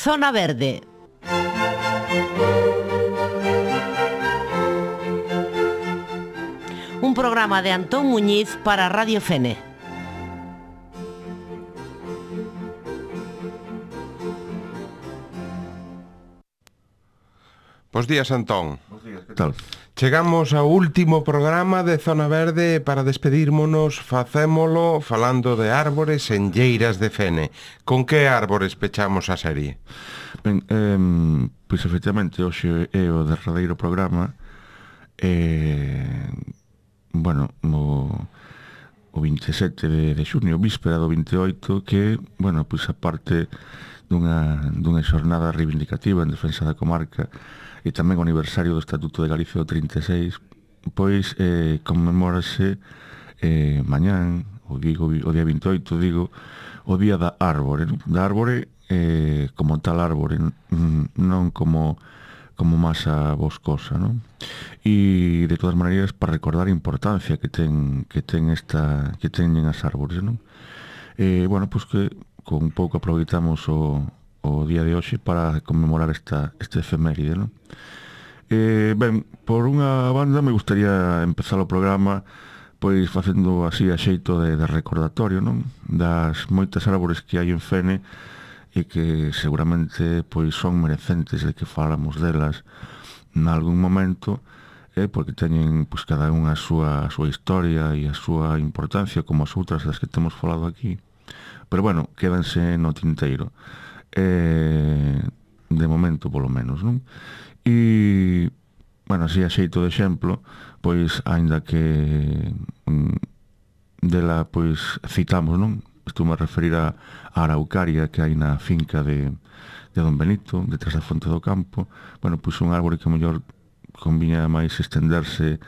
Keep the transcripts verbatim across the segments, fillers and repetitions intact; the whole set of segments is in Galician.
Zona Verde. Un programa de Antón Muñiz para Radio Fene. Bos días, Antón. Bos días, que tal? Chegamos ao último programa de Zona Verde. Para despedirmonos, facémolo falando de árbores en lleiras de Fene. Con que árbores pechamos a serie? Ben, eh, pois efectivamente hoxe é o derradeiro programa. eh, Bueno, o, o vinte e sete de, de xunio, víspera do vinte e oito, que, bueno, pois a parte dunha, dunha xornada reivindicativa en defensa da comarca e tamén o aniversario do Estatuto de Galicia do trinta e seis, pois eh, conmemórase eh, mañán, o, digo, o día vinte e oito, digo, o día da árbore, non? Da árbore eh, como tal árbore, non como como masa boscosa, non? E de todas maneiras para recordar a importancia que ten que ten esta que teñen as árbores, non? Eh, bueno, pois que con un pouco aproveitamos o o día de hoxe para conmemorar esta este efeméride, non? Eh, ben, por unha banda me gustaría empezar o programa pois facendo así a xeito de, de recordatorio, non? Das moitas árbores que hai en Fene e que seguramente pois son merecentes de que falamos delas nalgún momento, eh, porque teñen pois cada unha a súa, a súa historia e a súa importancia como as outras das que temos falado aquí, pero bueno, quédanse no tinteiro, eh, de momento polo menos, non? E bueno, así a xeito de exemplo, pois aínda que mm, dela pois citamos, non? Estou a referir a, a araucaria que hai na finca de, de Don Benito, detrás da Fonte do Campo. Bueno, pois un árbore que a mellor conviña máis estenderse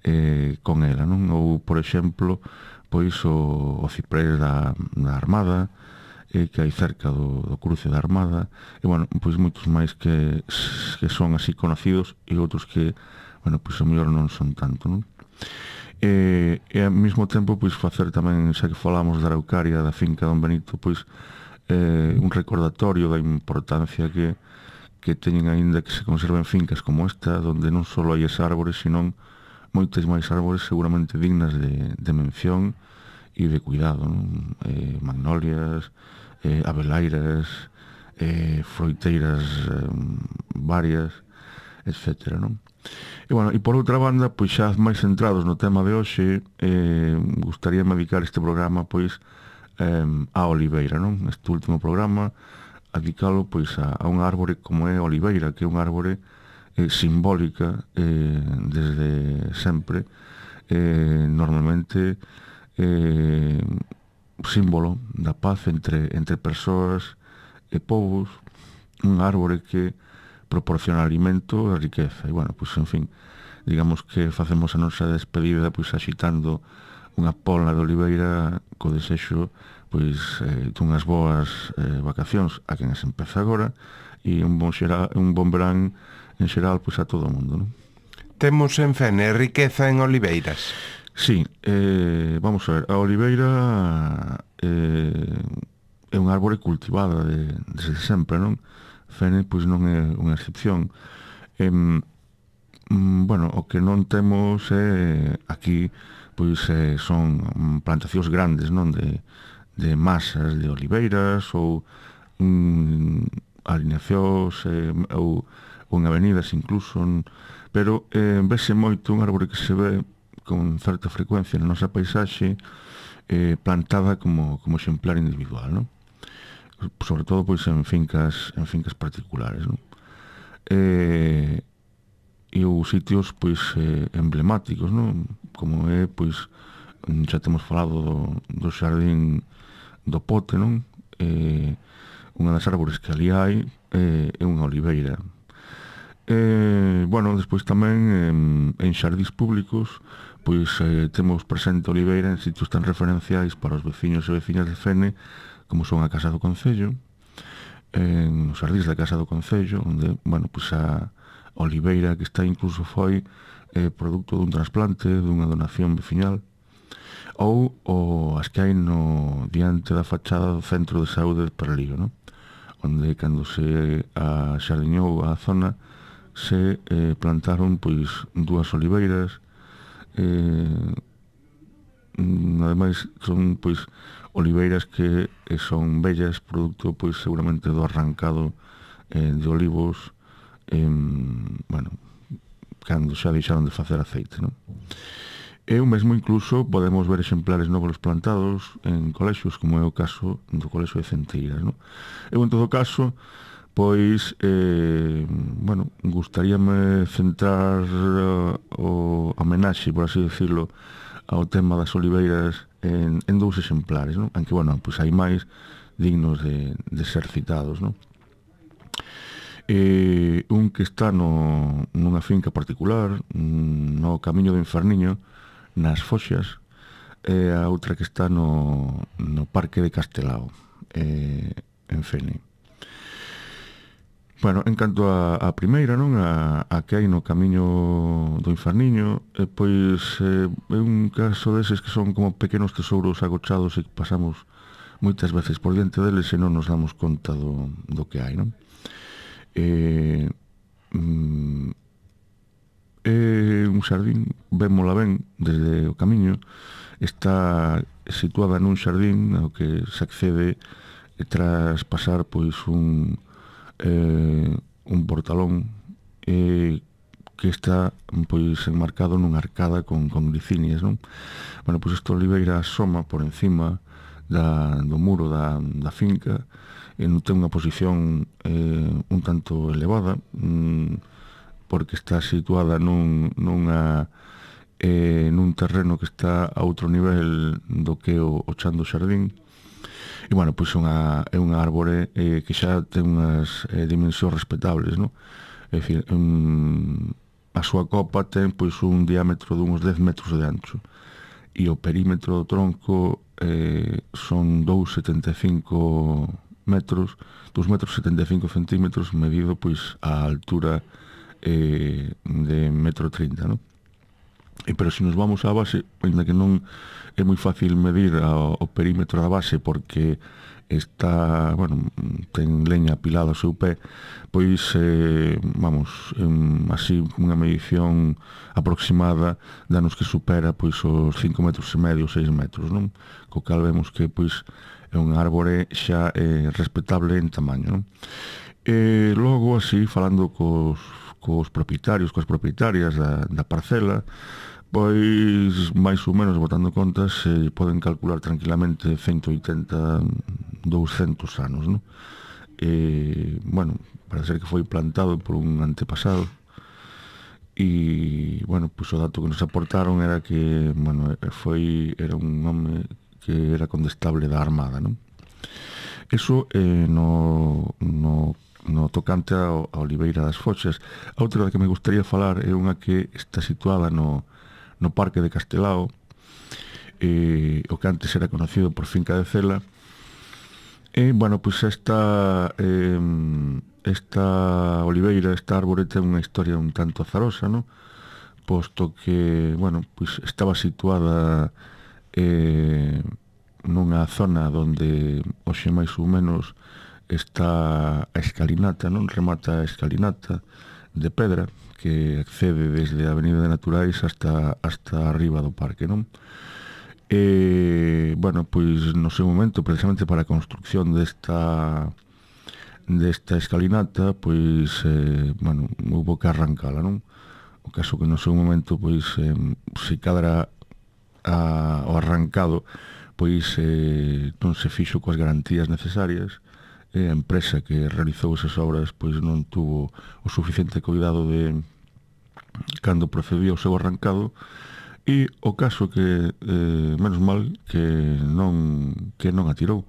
eh, con ela, non? Ou, por exemplo, pois o, o ciprés da, da Armada, eh, que hai cerca do, do cruce da Armada, e, bueno, pois moitos máis que, que son así conocidos e outros que, bueno, pois a mellor non son tanto, non? E, e ao mesmo tempo pois facer tamén, xa que falamos da araucaria da finca Don Benito, pois eh, un recordatorio da importancia que, que teñen aínda que se conserven fincas como esta, donde non só hai esas árbores, sino moitas máis árbores seguramente dignas de, de mención e de cuidado, non? Eh, magnolias, eh, abeleiras, eh, froiteiras eh, varias, etcétera, non? E, bueno, e por outra banda, pois xa máis centrados no tema de hoxe, eh, gustaríame dedicar este programa, pois, eh, á oliveira, non? Este último programa, dedicalo, pois, a, a unha árbore como é a oliveira, que é unha árbore eh, simbólica eh, desde sempre, eh, normalmente eh, símbolo da paz entre, entre persoas e povos, unha árbore que proporciona alimento e riqueza. E, bueno, pois, en fin, digamos que facemos a nosa despedida pois axitando unha polna de oliveira co desexo pois eh, dunhas boas eh, vacacións a quen as empeza agora e un bon, xera, un bon verán en xeral pois a todo o mundo, non? Temos en Fene riqueza en oliveiras. Sí, eh, vamos a ver, a oliveira eh, é unha árbore cultivada de, desde sempre, non? Fene pois non é unha excepción. Eh, bueno, o que non temos é aquí pois eh, son plantacións grandes, non, de, de masas de oliveiras ou um, alineacións eh, ou, ou en avenidas incluso, pero eh, vese moito un árbore que se ve con certa frecuencia na nosa paisaxe eh, plantada como, como exemplar individual, non? Sobre todo pois en fincas en fincas particulares, non? Eh, e os sitios pois eh, emblemáticos, non? Como é pois xa temos falado do, do xardín do Pote, non? Eh, unha das árbores que ali hai eh, é unha oliveira. Eh, bueno, despois tamén en, en xardíns públicos pois eh, temos presente a oliveira en sitios tan referenciais para os veciños e veciñas de Fene como son a Casa do Concello, en os xardíns da Casa do Concello, onde, bueno, pois a oliveira que está incluso foi eh, produto dun trasplante, dunha donación veciñal, ou o, as que hai no diante da fachada do Centro de Saúde de Perlío, non? onde cando se axardiñou a zona se eh, plantaron pois dúas oliveiras, eh, ademais son pois oliveiras que eh, son bellas, producto pois seguramente do arrancado eh, de olivos, eh, bueno, cando xa deixaron de facer aceite, non? E o mesmo incluso podemos ver exemplares novos plantados en colexios, como é o caso do colexio de Centeiras, non? Eu, en todo caso, pois, eh, bueno, gustaríame centrar uh, o homenaxe, por así decirlo, ao tema das oliveiras en, en dous exemplares, non? Aunque, bueno, pois hai máis dignos de, de ser citados, non? Eh, un que está no, nunha finca particular, no Camiño do Inferniño, nas Foxas, e a outra que está no, no Parque de Castelao, eh, en Fene. Bueno, en canto a, a primeira, non, a, a que hai no Camiño do Inferniño, eh, pois eh, é un caso deses que son como pequenos tesouros agochados e que pasamos moitas veces por diante deles e non nos damos conta do, do que hai, non? Eh, mm, é un xardín, vémola ben desde o camiño, está situada nun xardín ao que se accede tras pasar pois un eh, un portalón eh, que está pois enmarcado nunha arcada con, con glicinias, non? Bueno, pois esta oliveira asoma por encima da, do muro da, da finca e non ten unha posición eh, un tanto elevada, mm, porque está situada nun, nunha, eh, nun terreno que está a outro nivel do que o, o chan do xardín. E, bueno, pois unha, é unha árbore eh, que xa ten unhas eh, dimensións respetables, non? É dicir, um, a súa copa ten pois un diámetro de uns dez metros de ancho e o perímetro do tronco eh, son dous setenta e cinco metros, dous metros setenta e cinco centímetros, medido pois a altura eh, de metro trinta, non? E, pero se nos vamos á base, ainda que non é moi fácil medir ao, o perímetro da base porque está, bueno, ten leña apilada ao seu pé, pois, eh, vamos, en, así unha medición aproximada danos que supera pois os cinco metros e medio, seis metros, non? Co cal vemos que pois é un árbore xa eh, respetable en tamaño, non? E logo, así, falando cos, cos propietarios, coas propietarias da, da parcela, pois, máis ou menos, botando contas, se poden calcular tranquilamente ciento oitenta, douscentos anos, non? E, bueno, parece ser que foi plantado por un antepasado e, bueno, pois o dato que nos aportaron era que, bueno, foi, era un home que era condestable da Armada, non? Eso eh, no, no, no tocante a, a Oliveira das Foxas. A outra que me gustaría falar é unha que está situada no, no Parque de Castelao, eh, o que antes era conocido por Finca de Cela. E, bueno, pois esta, eh, esta oliveira, esta árbore, ten unha historia un tanto azarosa, non? Posto que, bueno, pois estaba situada eh, nunha zona onde hoxe máis ou menos está a escalinata, non? Remata a escalinata de pedra que accede desde a Avenida de Naturais hasta, hasta arriba do parque, non? E, bueno, pois no seu momento, precisamente para a construcción desta desta escalinata, pois, eh, bueno, houve que arrancala, non? O caso que no seu momento, pois, eh, se cadra a, o arrancado, pois eh, non se fixo coas garantías necesarias, e a empresa que realizou esas obras, pois non tuvo o suficiente cuidado de cando procedía o seu arrancado. E o caso que, eh, menos mal, que non que non a tirou,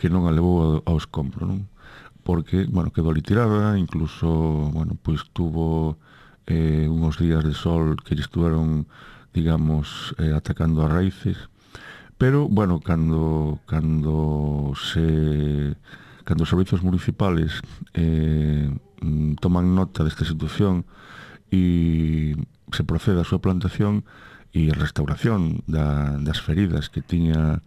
que non a levou ao, ao escombro, non? Porque, bueno, quedou ali tirada, incluso, bueno, pois tuvo eh, uns días de sol que lle estuveron, digamos, eh, atacando as raíces, pero, bueno, cando cando se cando os servizos municipales eh, toman nota desta situación e se procede a súa plantación e restauración da, das feridas que tiña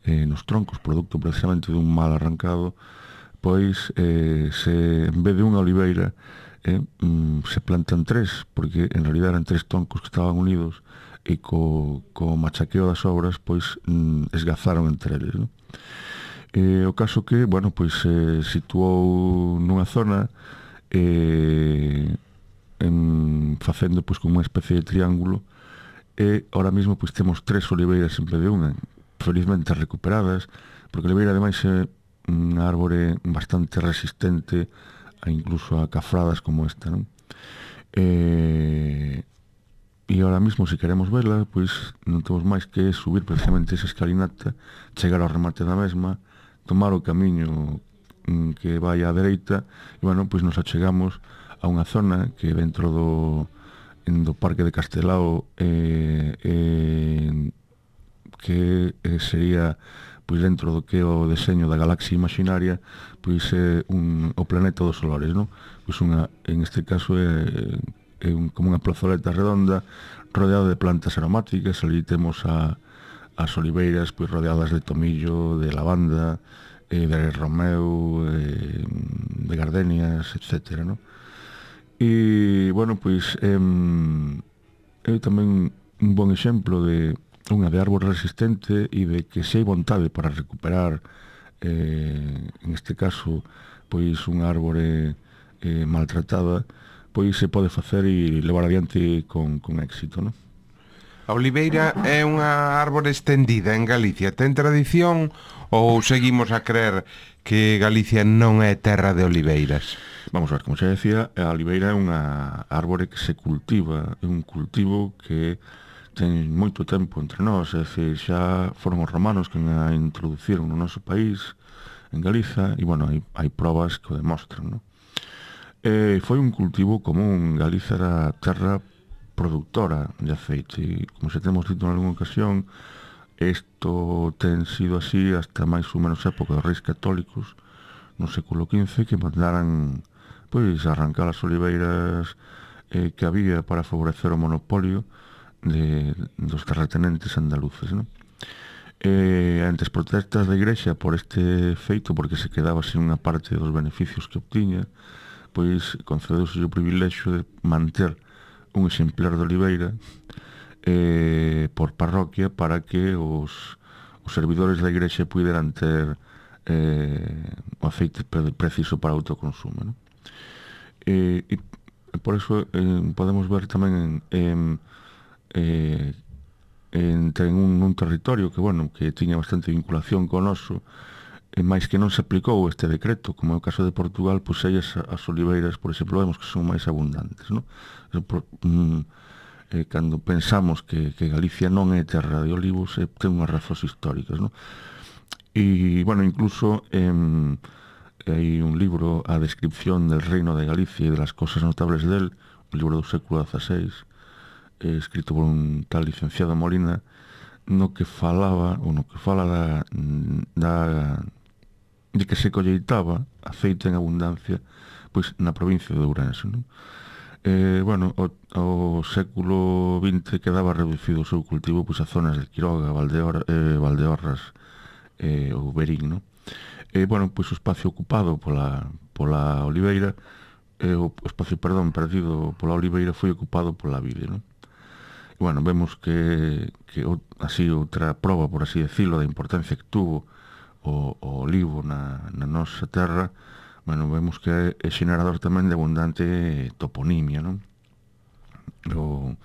eh, nos troncos, producto precisamente dun mal arrancado, pois eh, se en vez de unha oliveira eh, mm, se plantan tres, porque en realidad eran tres troncos que estaban unidos e co, co machaqueo das obras pois mm, esgazaron entre eles, non? Eh, o caso que, bueno, pois se eh, situou nunha zona eh, en, facendo pois como unha especie de triángulo, e ahora mesmo pois temos tres oliveiras en vez de unha, felizmente recuperadas, porque a oliveira ademais é unha árbore bastante resistente a incluso a cafradas como esta, non? E, e ahora mesmo, se queremos vela, pois non temos máis que subir precisamente esa escalinata, chegar ao remate da mesma, tomar o camiño que vai á dereita, e, bueno, pois nos achegamos a unha zona que dentro do, do Parque de Castelao eh, eh, que eh, sería pois dentro do que é o deseño da galaxia imaginaria, pois é un, o planeta dos olores, non? Pois unha, en este caso é, é un, como unha plazoleta redonda rodeada de plantas aromáticas. Ali temos a, as oliveiras pois rodeadas de tomillo, de lavanda, eh, de romeu, eh, de gardenias, etcétera, non? E, bueno, pois é, é tamén un bon exemplo de unha de árbore resistente e de que se hai vontade para recuperar eh, en este caso pois unha árbore eh, maltratada, pois se pode facer e levar adiante con, con éxito, non? A oliveira é unha árbore estendida en Galicia. Ten tradición ou seguimos a creer que Galicia non é terra de oliveiras? Vamos a ver, como xa decía, a oliveira é unha árbore que se cultiva, é un cultivo que ten moito tempo entre nós, é dicir, xa foron os romanos que a introduciron no noso país, en Galiza, e, bueno, hai, hai probas que o demostran, non? E foi un cultivo común. Galiza era terra productora de aceite, e, como xa temos dito en algunha ocasión, isto ten sido así hasta máis ou menos época dos reis católicos, no século quince, que mandaran, pois, arrancar as oliveiras eh, que había para favorecer o monopolio de, dos terratenentes andaluces, non? E ante as protestas da Igrexa por este feito, porque se quedaba sin unha parte dos beneficios que obtiña, pois concedeuse o privilexio de manter un exemplar de oliveira eh, por parroquia para que os, os servidores da Igrexa puderan ter eh, o aceite preciso para autoconsumo, non? E, e por eso eh, podemos ver tamén en, en Eh, entre un, un territorio que, bueno, que tiña bastante vinculación con o noso, e máis que non se aplicou este decreto, como é o caso de Portugal, pois aí as, as oliveiras, por exemplo, vemos que son máis abundantes, non? Por, mm, eh, cando pensamos que, que Galicia non é terra de olivos, eh, ten unhas razóns históricas, non? E, bueno, incluso eh, hai un libro, A descripción del reino de Galicia e de las cosas notables del, un libro do século dieciséis, escrito por un tal licenciado Molina, no que falaba, ou no que fala da, da de que se colleitaba aceite en abundancia pois na provincia de Ourense, non? Eh, bueno, o, o século vinte quedaba reducido o seu cultivo pois a zonas de Quiroga, Valdeor, eh, Valdeorras eh, ou Berín, non? Eh, bueno, pois o espacio ocupado pola, pola oliveira eh, o espacio, perdón, perdido pola oliveira foi ocupado pola vide, non? Bueno, vemos que, que así outra proba, por así decirlo, da importancia que tuvo o, o olivo na, na nosa terra, bueno, vemos que é xenerador tamén de abundante toponimia, non? O,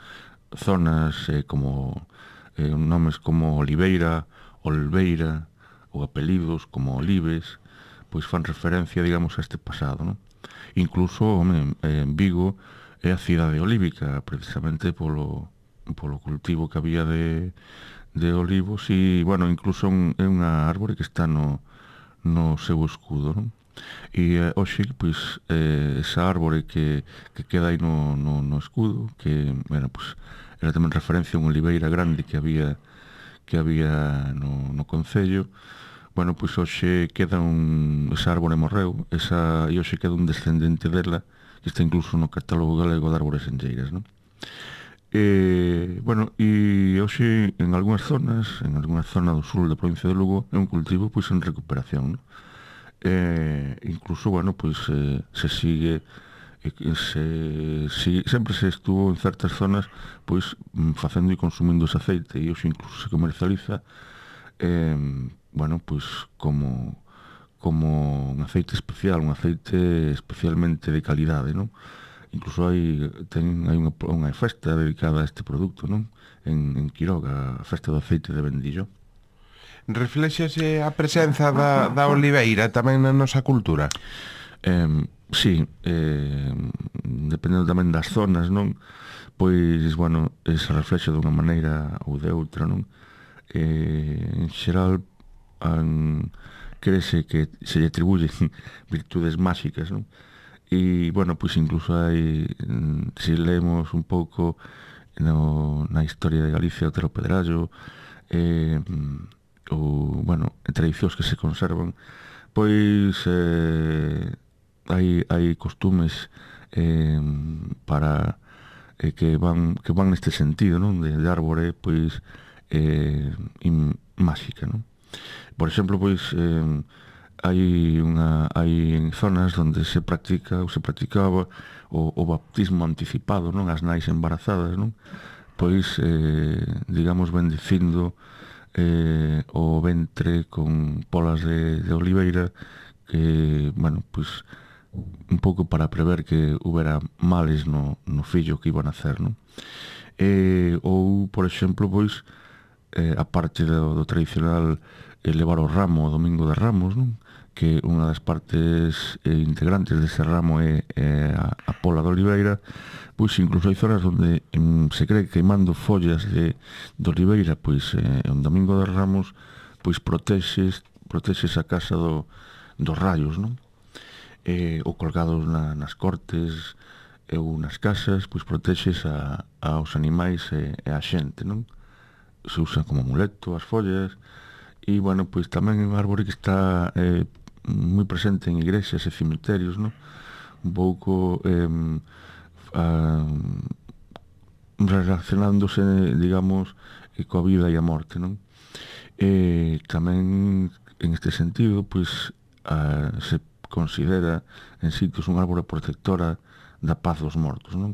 zonas eh, como eh, nomes como Oliveira, Olveira, ou apelidos como Olives, pois fan referencia, digamos, a este pasado, non? Incluso, home, en Vigo é a cidade olívica, precisamente polo polo cultivo que había de, de olivos e, bueno, incluso un, é unha árbore que está no, no seu escudo, non? E eh, hoxe, pois, eh, esa árbore que, que queda aí no, no, no escudo, que, bueno, pois, era tamén referencia a unha oliveira grande que había que había no, no concello. Bueno, pois hoxe queda un, esa árbore morreu, esa, e hoxe queda un descendente dela, que está incluso no catálogo galego de árbores enlleiras, non? E, bueno, e hoxe en algunhas zonas, en algunha zona do sul da provincia de Lugo, é un cultivo pois en recuperación, non? eh, incluso, bueno, pois eh, se sigue e se, si, sempre se estuvo en certas zonas pois facendo e consumindo ese aceite, e hoxe incluso se comercializa eh, bueno, pois como como un aceite especial, un aceite especialmente de calidade, non? Incluso hai ten hai unha, unha festa dedicada a este produto, non? En, en Quiroga, a festa do aceite de Vendillo. Reflexase a presenza da, da oliveira tamén na nosa cultura? Eh, sí, eh, dependendo tamén das zonas, non? Pois, bueno, se reflexa dunha maneira ou de outra, non? Eh, en xeral, an, crese que se lle atribuyen virtudes máxicas, non? E, bueno, pois incluso hai, se leemos un pouco no, na historia de Galicia, o Tero Pedrallo, eh, ou, bueno, tradicións que se conservan, pois eh, hai, hai costumes eh, para eh, que van que van neste sentido, non? De, de árbore, pois eh, in, máxica, non? Por exemplo, pois eh, hai unha hai en zonas onde se practica ou se practicaba o, o baptismo anticipado, non? As nais embarazadas, non? Pois eh, digamos bendicindo eh, o ventre con polas de, de oliveira que, bueno, pois un pouco para prever que houbera males no, no fillo que iba a nacer, non? E, ou, por exemplo, pois eh, a parte do, do tradicional eh, levar o ramo o domingo de Ramos, non? Que unha das partes eh, integrantes dese ramo é, é a, a pola de oliveira. Pois incluso hai zonas onde em, se cree que queimando follas de, de oliveira, pois eh, un domingo de Ramos, pois protexes, protexes a casa do, dos rayos, non? Eh, ou colgados na, nas cortes eh, ou nas casas, pois protexes a, aos animais e, e a xente, non? Se usa como amuleto as follas. E, bueno, pois tamén é un árbore que está eh, moi presente en igrexas e cemiterios, non? Un pouco eh, a, relacionándose, digamos, coa vida e a morte, non? E tamén, en este sentido, pois a, se considera en sitios un árbore protectora da paz dos mortos, non?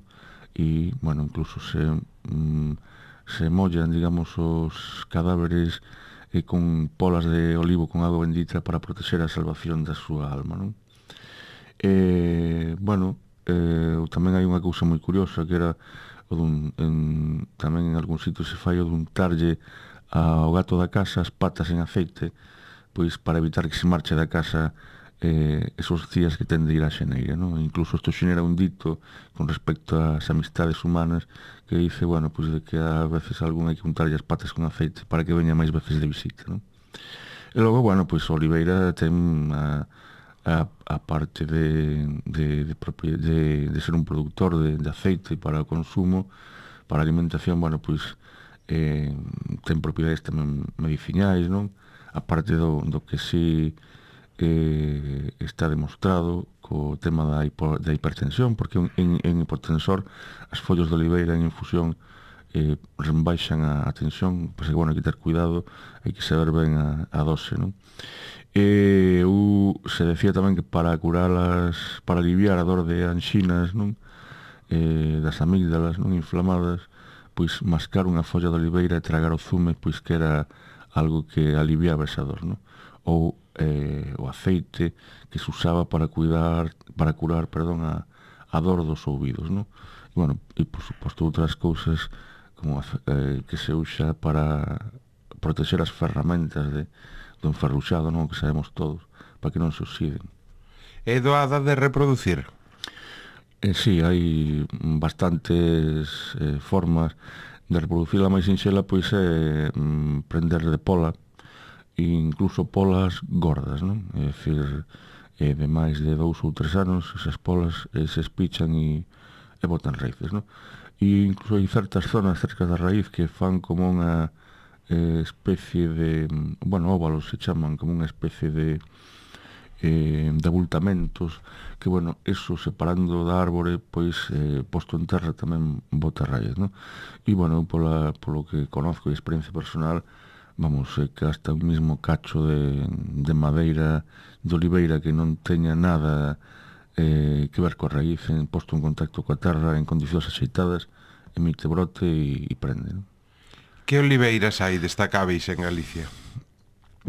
E, bueno, incluso se mm, se mollan, digamos, os cadáveres e con polas de olivo con agua bendita para proteger a salvación da súa alma, non? E, bueno, eh, tamén hai unha cousa moi curiosa que era o dun, en, tamén en algún sitio se fai o de untarlle ao gato da casa as patas en aceite, pois para evitar que se marche da casa eh, esos días que ten de ir á xeneira, non? Incluso isto xenera un dito con respecto ás amistades humanas que dice, bueno, pois de que a veces algún hai que untarlle as patas con aceite para que veña máis veces de visita, non? E logo, bueno, pois a oliveira ten a, a, a parte de, de, de, de, de ser un productor de, de aceite para o consumo, para a alimentación, bueno, pois eh, ten propiedades tamén medicinais, non? A parte do, do que si eh, está demostrado co tema da, hipo, da hipertensión, porque en, en hipotensor as follas de oliveira en infusión eh, rebaixan a, a tensión, pois, bueno, hai que ter cuidado, hai que saber ben a, a dose, non? E u, se decía tamén que para curar as, para aliviar a dor de anxinas, non? Eh, das amígdalas non inflamadas, pois mascar unha folla de oliveira e tragar o zume, pois que era algo que aliviaba esa dor, non? Ou eh, o aceite que se usaba para cuidar, para curar, perdón, a, a dor dos ouvidos, non? E, bueno, e por suposto outras cousas como eh, que se usa para proteger as ferramentas de, do enferruxado, non? Que sabemos todos, para que non se oxiden. É doada de reproducir? Eh, sí, hai bastantes eh, formas de reproducir. A máis sinxela pois é mm, prender de pola, e incluso polas gordas, non? É dicir, eh, de máis de dous ou tres anos esas polas eh, se espichan e, e botan raíces, non? E incluso hai certas zonas cerca da raíz que fan como unha eh, especie de, bueno, óvalos se chaman, como unha especie de eh, de abultamentos que, bueno, eso separando da árbore pois eh, posto en terra tamén bota raíz, non? E, bueno, pola, polo que conozco e experiencia personal, vamos, eh, que hasta un mismo cacho de, de madeira de oliveira que non teña nada eh, que ver coa raíz, en, posto en contacto coa terra en condicións axeitadas, emite brote e, e prende, non? Que oliveiras hai destacáveis en Galicia?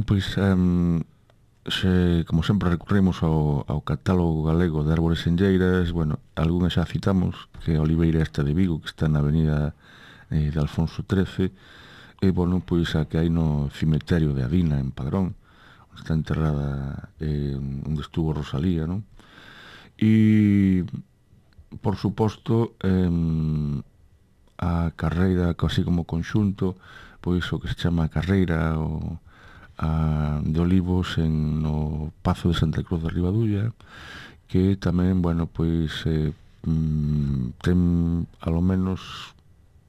Pois, um, se, como sempre recurrimos ao, ao catálogo galego de árbores enlleiras, bueno, algunhas xa citamos, que a oliveira esta de Vigo, que está na avenida eh, de Alfonso trece, e, bueno, pois a que hai no cemiterio de Adina, en Padrón, onde está enterrada eh, onde estuvo Rosalía, non? E, por suposto, eh, a carreira, así como conxunto, pois o que se chama a carreira o, a, de olivos en no Pazo de Santa Cruz de Ribadulla, que tamén, bueno, pois eh, mm, ten alo menos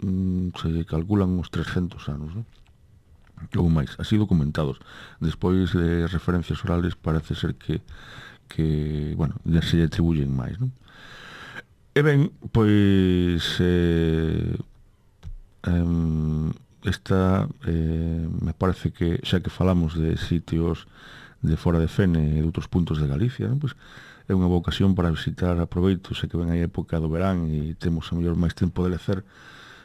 mm, se calculan uns trescentos anos, non? Ou máis, así documentados. Despois de referencias orales parece ser que que, bueno, ya se lle atribuyen máis, non? E ben, pois eh, eh, esta eh, me parece que xa que falamos de sitios de fora de Fene e de outros puntos de Galicia, non? Pois é unha boa ocasión para visitar, aproveito, xa que ven a época do verán e temos a mellor máis tempo de lecer,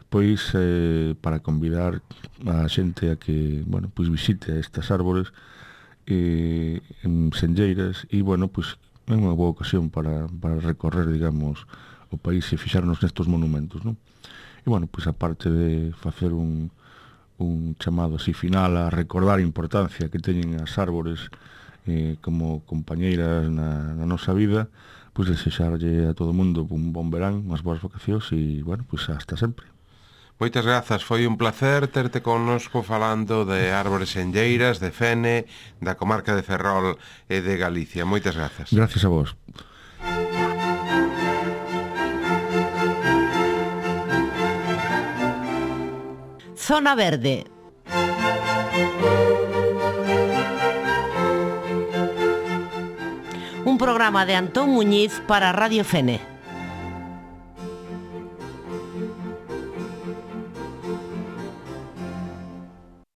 pois eh, para convidar a xente a que, bueno, pois visite estas árbores eh, en senlleiras e, bueno, pois é unha boa ocasión para, para recorrer, digamos, o país e fixarnos nestos monumentos, non? E, bueno, pois aparte de facer un, un chamado así final a recordar a importancia que teñen as árbores eh, como compañeiras na, na nosa vida, pois desexarlle a todo o mundo un bon verán, unhas boas vacacións e, bueno, pois hasta sempre. Moitas grazas, foi un placer terte connosco falando de árbores enlleiras, de Fene, da comarca de Ferrol e de Galicia. Moitas grazas. Gracias a vos. Zona Verde. Un programa de Antón Muñiz para Radio Fene.